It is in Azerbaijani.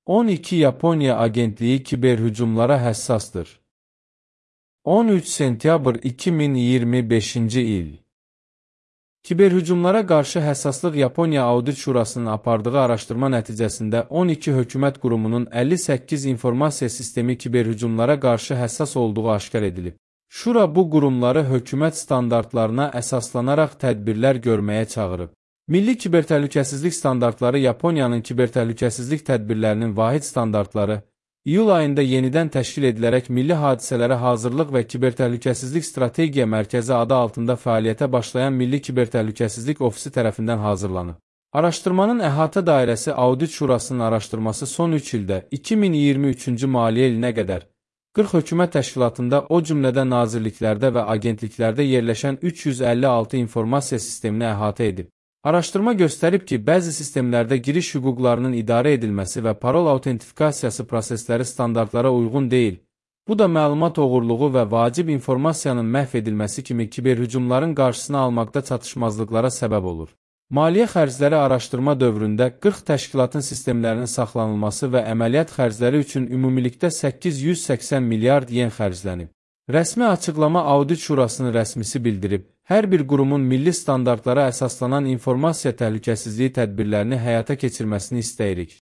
12 Yaponiya agentliyi kiberhücumlara həssasdır. 13 sentyabr 2025-ci il. Kiberhücumlara qarşı həssaslıq Yaponiya Audit Şurasının apardığı araşdırma nəticəsində 12 hökumət qurumunun 58 informasiya sistemi kiberhücumlara qarşı həssas olduğu aşkar edilib. Şura bu qurumları hökumət standartlarına əsaslanaraq tədbirlər görməyə çağırıb. Milli Kibertəhlükəsizlik Standartları Yaponiyanın kibertəhlükəsizlik tədbirlərinin vahid standartları, iyul ayında yenidən təşkil edilərək Milli Hadisələrə Hazırlıq və Kibertəhlükəsizlik Strategiya Mərkəzi adı altında fəaliyyətə başlayan Milli Kibertəhlükəsizlik Ofisi tərəfindən hazırlanıb. Araşdırmanın əhatə dairəsi Audit Şurasının araşdırması son 3 ildə 2023-cü maliyyə ilinə qədər 40 hökumət təşkilatında, o cümlədə nazirliklərdə və agentliklərdə yerləşən 356 informasiya sistemini əhatə edib. Araşdırma göstərib ki, bəzi sistemlərdə giriş hüquqlarının idarə edilməsi və parol autentifikasiyası prosesləri standartlara uyğun deyil. Bu da məlumat oğurluğu və vacib informasiyanın məhv edilməsi kimi kiberhücumların qarşısını almaqda çatışmazlıqlara səbəb olur. Maliyyə xərcləri araşdırma dövründə 40 təşkilatın sistemlərinin saxlanılması və əməliyyat xərcləri üçün ümumilikdə 880 milyard yen xərclənib. Rəsmi açıqlama Audit Şurasının rəsmisi bildirib, hər bir qurumun milli standartlara əsaslanan informasiya təhlükəsizliyi tədbirlərini həyata keçirməsini istəyirik.